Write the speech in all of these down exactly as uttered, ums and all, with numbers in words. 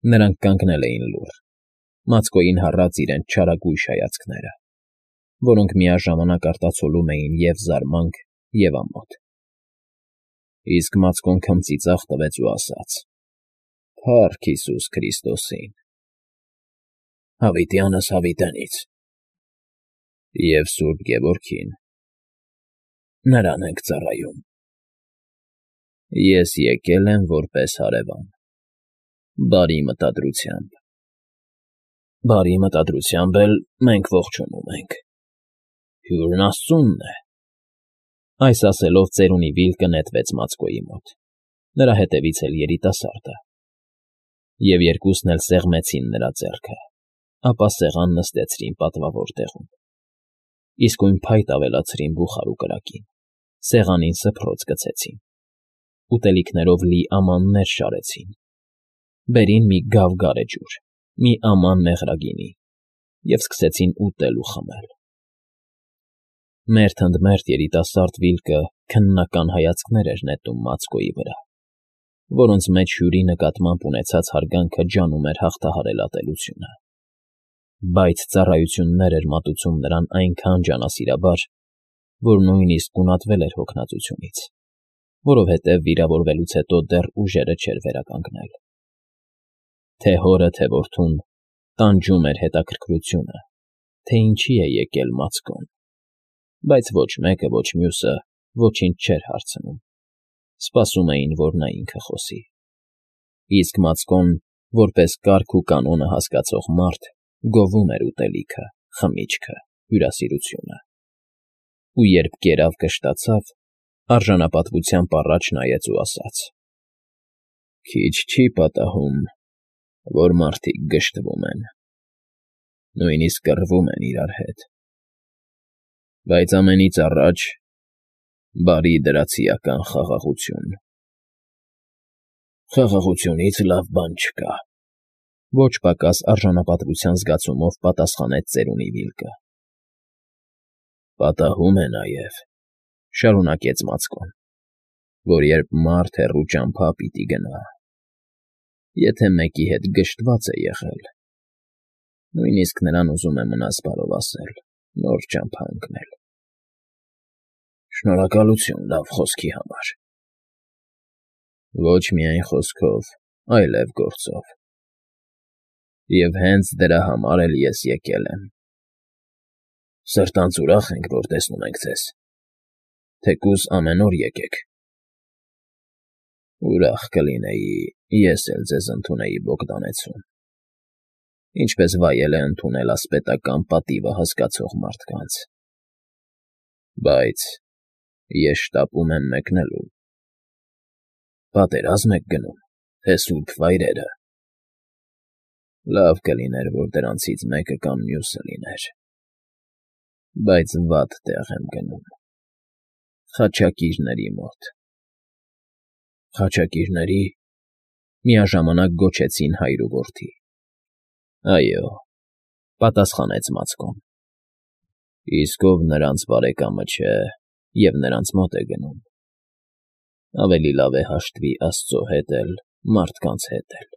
Նրանք կանգնել էին լուռ, Մացկոյին հառած իրենց չարագույժ հայացքները, որոնք միաժամանակ արտացոլում էին և՛ զարմանք, և՛ ամոթ։ Իսկ Մացկոն քմծիծաղ տվեց ու ասաց. ֊ Փա՜ռք Հիսուս Քրիստոսին… Հավիտյանս հավիտենից… և Սուրբ Գևորգին… նրան ենք ծառայում… Ես եկել եմ որպես հարևան… բարի մտադրությամբ… Բարի մտադրությամբ էլ մենք ողջունում ենք… Հյուրն աստծունն է… Այս ասելով ծերունի վիլկը նետվեց Մացկոյի մոտ, նրա հետևից էլ երիտասարդը, և երկուսն էլ սեղմեցին նրա ձեռքը, ապա սեղան նստեցրին պատվավոր տեղում, իսկույն փայտ ավելացրին բուխարու կրակին, սեղանին սփռոց գցեցին, ուտելիքներով լի ամաններ շարեցին, բերին մի գավ գարեջուր, մի աման մեղրագինի և սկսեցին ուտել ու խմել… Մերթ ընդ մերթ երիտասարդ Վիլկը քննական հայացքներ էր նետում Մացկոյի վրա, որոնց մեջ հյուրի նկատմամբ ունեցած հարգանքը ջանում էր հաղթահարել ատելությունը, բայց ծառայություններ էր մատուցում նրան այնքան ջանասիրաբար, որ նույնիսկ գունատվել էր հոգնածությունից, որովհետև վիրավորվելուց հետո դեռ ուժերը չէր վերականգնել… Թե՛ հորը, թե՛ որդուն տանջում էր հետաքրքրությունը, թե ինչի է եկել Մացկոն, բայց ոչ մեկը, ոչ մյուսը ոչինչ չէր հարցնում, սպասում էին, որ նա ինքը խոսի… Իսկ Մացկոն, որպես կարգ ու կանոնը հասկացող մարդ, գովում էր ուտելիքը, խմիչքը, հյուրասիրությունը… Ու երբ կերավ կշտացավ, արժանապատվությամբ առաջ նայեց ու ասաց. «Քիչ չի պատահում, որ մարդիկ գժտվում են, նույնիսկ կռվում են իրար հետ… Բայց ամենից առաջ բարի դրացիական խաղաղություն… Խաղաղությունից լավ բան չկա…» Ոչ պակաս արժանապատվության զգացումով պատասխանեց ծերունի Վիլկը։ ֊ Պատահում է նաև, ֊ շարունակեց Մացկոն, ֊ որ երբ մարդ հեռու ճամփա պիտի գնա, եթե մեկի հետ գժտված է եղել, նույնիսկ նրան ուզում է մնաս բարով ասել, նոր ճամփա ընկնել… Շնորհակալություն լավ խոսքի համար… Ոչ միայն խոսքով, այլև գործով… Եվ հենց դրա համար էլ ես եկել եմ… Սրտանց ուրախ ենք, որ տեսնում ենք ձեզ… Թեկուզ ամեն օր եկեք… Ուրախ կլինեի ես էլ ձեզ ընդունեի Բոգդանեցում, ինչպես վայել է ընդունել ասպետական պատիվը հասկացող մարդկանց… Բայց ես շտապում եմ մեկնելու… Պատերազմ եք գնում, թե սուրբ վայրերը… Լավ կլիներ, որ դրանցից մեկը կամ մյուսը լիներ… Բայց վատ տեղ եմ գնում… Խաչակիրների մոտ… Խաչակիրների… Միաժամանակ գոչեցին հայր ու որդի։ ֊ Այո,֊ պատասխանեց Մացկոն։ ֊ Իսկ ով նրանց բարեկամը չէ և նրանց մոտ է գնում, ավելի լավ է հաշտվի աստծո հետ էլ, մարդկանց հետ էլ,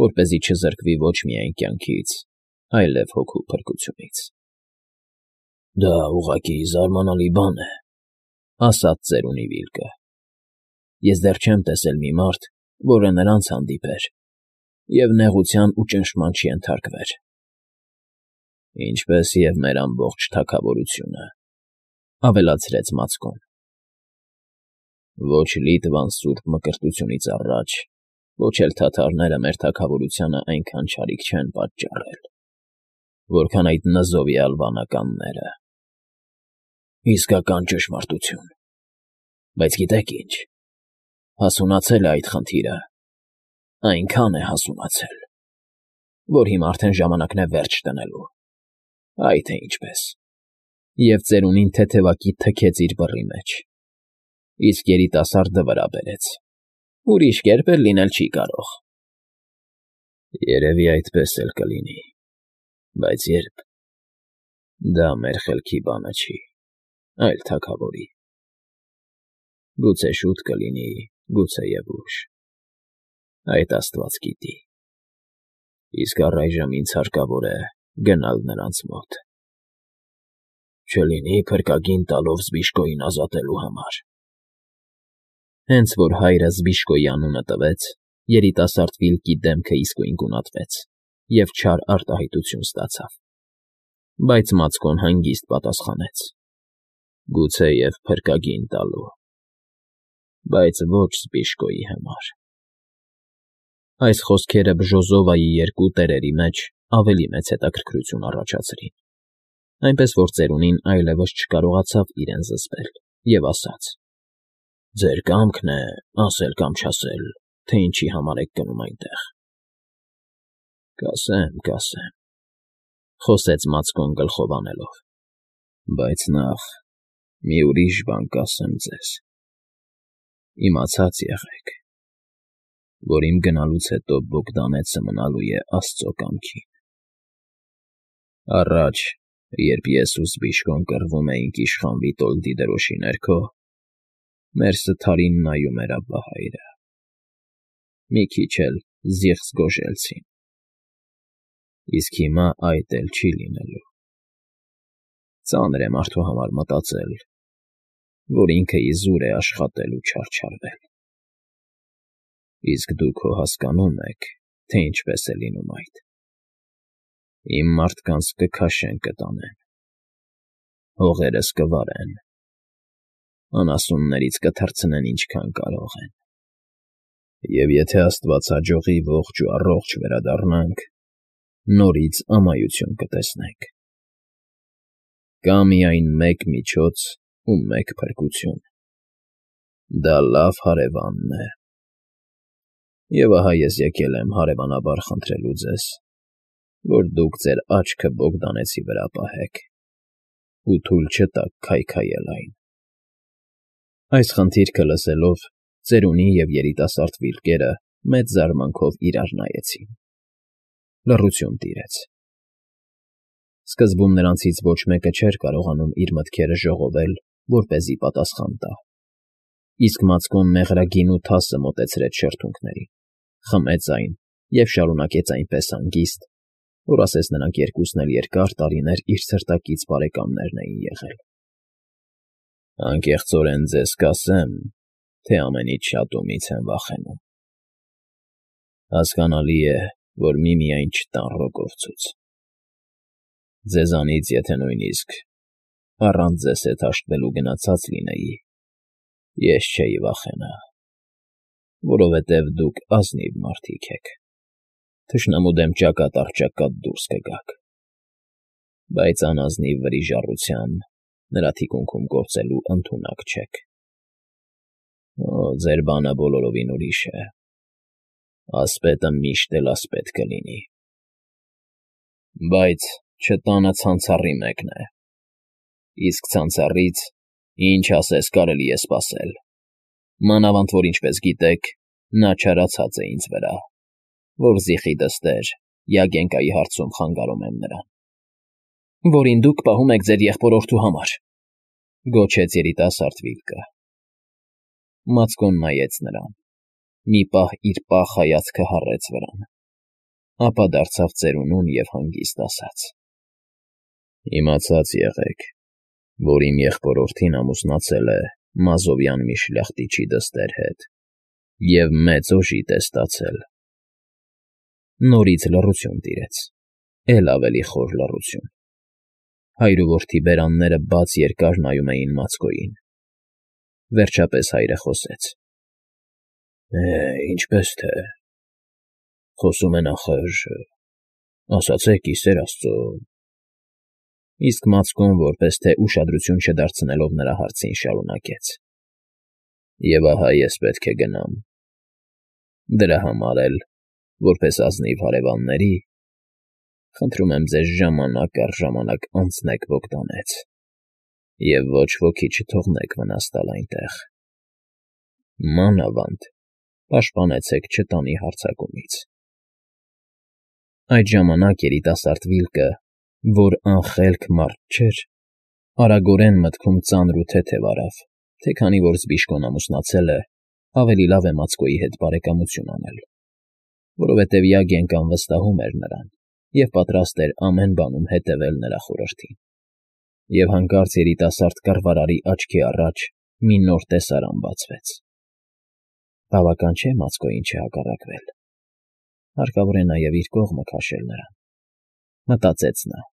որպեսզի չզրկվի ոչ միայն կյանքից, այլև հոգու փրկությունից… ֊ Դա ուղղակի զարմանալի բան է,֊ ասաց ծերունի Վիլկը։ Ես դեռ չեմ տեսել մի մարդ, որը նրանց հանդիպեր և նեղության ու ճնշման չենթարկվեր… ֊ Ինչպես և մեր ամբողջ թագավորությունը,֊ ավելացրեց Մացկոն։ ֊ Ոչ Լիտվան սուրբ Մկրտությունից առաջ, ոչ էլ թաթարները մեր թագավորությանը այնքան չարիք չեն պատճառել, որքան այդ նզովյալ վանականները… Իսկական ճշմարտություն… Բայց գիտե՞ք ինչ… Հասունացել է այդ խնդիրը, այնքան է հասունացել, որ հիմա արդեն ժամանակն է վերջ դնելու… Այ թե ինչպես… Եվ ծերունին թեթևակի թքեց իր բռի մեջ, իսկ երիտասարդը վրա բերեց… Ուրիշ կերպ էլ լինել չի կարող… ֊ Երևի այդպես էլ կլինի, բայց ե՞րբ… Դա մեր խելքի բանը չի, այլ թագավորի… Գուցե շուտ կլինի, գուցեև ուշ… Այդ աստված գիտի… Իսկ առայժմ ինձ հարկավոր է գնալ նրանց մոտ, չլինի փրկագին տալով Զբիշկոյին ազատելու համար։ Հենց որ հայրը Զբիշկոյի անունը տվեց, երիտասարդ Վիլկի դեմքը իսկույն գունատվեց և չար արտահայտություն ստացավ, բայց Մացկոն հանգիստ պատասխանեց. Գուցեև փրկագին տալու, բայց ոչ Զբիշկոյի համար։ Այս խոսքերը Բժոզովայի երկու տերերի մեջ ավելի մեծ հետաքրքրություն առաջացրին, այնպես որ ծերունին այլևս չկարողացավ իրեն զսպել և ասաց. Ձեր կամքն է ասել կամ չասել, թե ինչի համար եք գնում այնտեղ։ Կասեմ, կասեմ, խոսեց Մացկոն գլխով անելով, բայց նախ մի ուրիշ բան կասեմ ձեզ. իմացած եղեք, որ իմ գնալուց հետո Բոգդանեցը մնալու է Աստծո կամքին։ Առաջ, երբ ես ու Զբիշկոն կռվում էինք իշխան Վիտոլդի դրոշի ներքո, մեր սթարին նայում էր ապահայրը, մի քիչ էլ զիղծ գոժելցին, իսկ հիմա այդ էլ չի լինելու։ Ծանր է մարդու համար մտածել, որ ինքը իզուր է աշխատել ու չարչարվել։ Իսկ դուք հո հասկանում եք, թե ինչպես է լինում այդ։ Իմ մարդկանց կքաշեն կտանեն, հողերս կվարեն, անասուններից կթռցնեն ինչքան կարող են, և եթե Աստված հաջողի ողջ ու առողջ վերադառնանք, նորից ամայություն կտեսնենք։ Կա միայն մեկ միջոց ու մեկ փրկություն. դա լավ հարևանն է։ Եվ ահա ես եկել եմ հարևանաբար խնդրելու ձեզ, որ դուք ձեր աչքը Բոգդանեցի վրա պահեք ու թույլ չտաք քայքայել այն։ Այս խնդիրքը լսելով, ծերունի և երիտասարդ Վիլկերը մեծ զարմանքով իրար նայեցին։ Լռություն տիրեց։ Սկզբում նրանցից ոչ մեկը չէր կարողանում իր մտքերը ժողովել, որպեսզի պատասխան տա, իսկ Մացկոն մեղրագին ու թասը մոտեցրեց շրթունքներին, խմեց այն և շարունակեց այնպես հանգիստ, որ ասես նրանք երկուսն էլ երկար տարիներ իր սրտակից բարեկամներն էին եղել։ Անկեղծորեն ձեզ կասեմ, թե ամենից շատ ումից եմ վախենում։ Հասկանալի է, որ միմիայն չտան ռոկովցուց։ Ձեզանից եթե նույնիսկ առանց ձեզ հետ հաշտվելու գնացած լինեի, ես չէի վախենա, որովհետև դուք ազնիվ մարդիկ եք, թշնամու դեմ ճակատ առ ճակատ դուրս կգաք, բայց անազնիվ վրիժառության նրա թիկունքում գործելու ընդունակ չեք։ Օ, ձեր բանը բոլորովին ուրիշ է, ասպետը միշտ էլ ասպետ կլինի։ Բայց չտանը ցանցառի մեկն է, իսկ ցանցառից ինչ ասես կարելի է սպասել, մանավանդ որ ինչպես գիտեք, նա չարացած է ինձ վրա, որ զիխի դստեր Յագենկայի հարցում խանգարում եմ նրան։ Որին դուք պահում եք ձեր եղբորորդու համար, գոչեց երիտասարդ Վիլկը։ Մացկոն նայեց նրան, մի պահ իր պաղ հայացքը հառեց վրան, ապա դարձավ ծերունուն և հանգիստ ասաց. Իմացած եղեք, որ իմ եղբորորդին ամուսնացել է Մազովյան մի շլախտիչի դստեր հետ և մեծ օժիտ է ստացել։ Նորից լռություն տիրեց, էլ ավելի խոր լռություն։ Հայր ու որդի բերանները բաց երկար նայում էին Մացկոյին։ Վերջապես հայրը խոսեց. Է, ինչպես թե, խոսում են ախր, ասացեք ի սեր Աստծո։ Իսկ Մացկոն, որպես թե ուշադրություն չդարձնելով նրա հարցին, շարունակեց. Եվ ահա ես պետք է գնամ։ Դրա համար էլ, որպես ազնիվ հարևանների, խնդրում եմ ձեզ ժամանակ առ ժամանակ անցնեք Բոգդանեց և ոչ ոքի չթողնեք վնաս տալ այնտեղ։ Մանավանդ պաշտպանեցեք չտանի հարձակումից։ Այդ ժամանակ երիտասարդ Վիլկը, որ անխելք մարդ չէր, արագորեն մտքում ծանր ու թեթև արավ, թե քանի որ Զբիշկոն ամուսնացել է, ավելի լավ է Մացկոյի հետ բարեկամություն անել։ որովհետև Յագենկան վստահում էր նրան և պատրաստ էր ամեն բանում հետևել նրա խորհրդին։ Եվ հանկարծ երիտասարդ կռվարարի աչքի առաջ մի նոր տեսարան բացվեց։ Բավական չէ Մացկոյին չհակառակվել, հարկավոր է նաև իր կողմը քաշել նրան, մտածեց նա,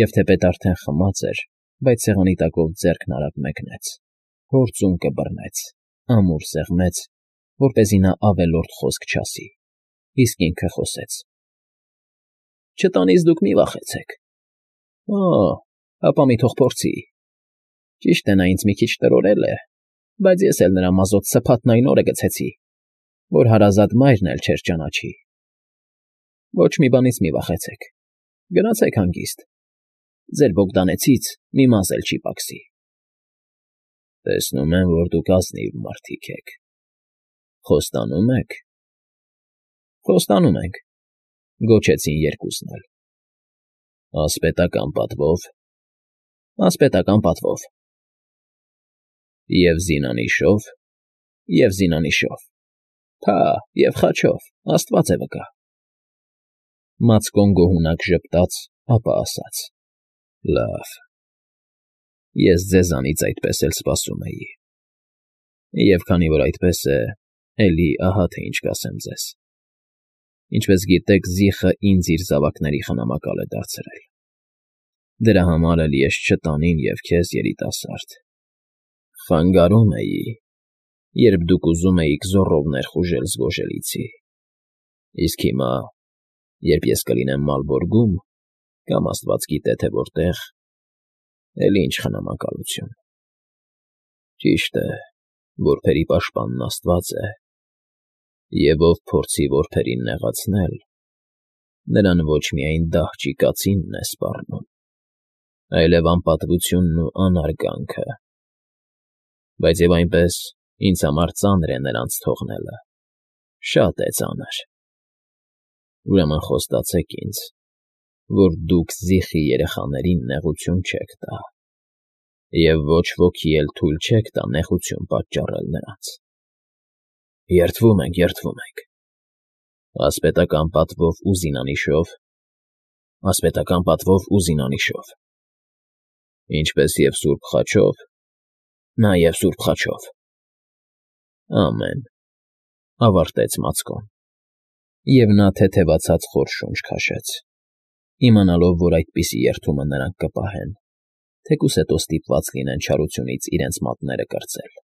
և թեպետ արդեն խմած էր, բայց սեղանի տակով ձեռքն արագ մեկնեց, հորձում կբռնեց, ամուր սեղմեց, որպեսզի նա ավելորդ խոսք չասի, իսկ ինքը խոսեց. Չտանից դուք մի վախեցեք։ Օ՜, ապա մի թող փորձի։ Ճիշտ է, նա ինձ մի քիչ տրորել է, բայց ես էլ նրա մազոտ սփաթն այն օրը գցեցի, որ հարազատ մայրն էլ չէր ճանաչի։ Ոչ մի բանից մի վախեցեք, գնացեք հանգիստ, ձեր Բոգդանեցից մի մազ էլ չի պակասի։ Տեսնում եմ, որ դուք ազնիվ մարդիկ եք, խոստանո՞ւմ եք։ Խոստանում ենք, գոչեցին երկուսն էլ։ Ասպետական պատվով։ Ասպետական պատվով։ Եվ զինանիշով, և զինանիշով, փա, և խաչով, աստված է վկա։ Մացկոն գոհունակ ժպտաց, ապա ասաց. Լավ, ես ձեզանից այդպես էլ սպասում էի։ Եվ քանի որ այդպես է, էլի ահա թե ինչ կասեմ ձեզ։ Ինչպես գիտեք, Զիխը ինձ իր զավակների խնամակալ է դարձրել։ Դրա համար էլ ես չտանին և քեզ, երիտասարդ, խանգարում էի, երբ դուք ուզում էիք զոռով ներխուժել զգոժելիցի, իսկ հիմա, երբ ես կլինեմ Մալբորգում կամ աստված գիտե թե որտեղ, էլի ինչ խնամակալություն։ Ճիշտ է, որբերի պաշտպանն աստված է, և ով փորձի որբերին նեղացնել, նրան ոչ միայն դահճի կացինն է սպառնում, այլև անպատվությունն ու անարգանքը։ Բայց և այնպես ինձ համար ծանր է նրանց թողնելը, շատ է ծանր։ Ուրեմն խոստացեք ինձ, որ դուք Զիխի երեխաներին նեղություն չեք տա և ոչ ոքի էլ թույլ չեք տա նեղություն պատճառել նրանց։ Երդվում ենք, երդվում ենք։ Ասպետական պատվով ու զինանիշով։ Ասպետական պատվով ու զինանիշով։ Ինչպես և սուրբ խաչով։ Նաև սուրբ խաչով։ Ամեն, ավարտեց Մացկոն, և նա թեթևացած խոր շունչ քաշեց, իմանալով, որ այդպիսի երդումը նրանք կպահեն, թեկուզ հետո ստիպված լինեն չարությունից իրենց մատները կրծել։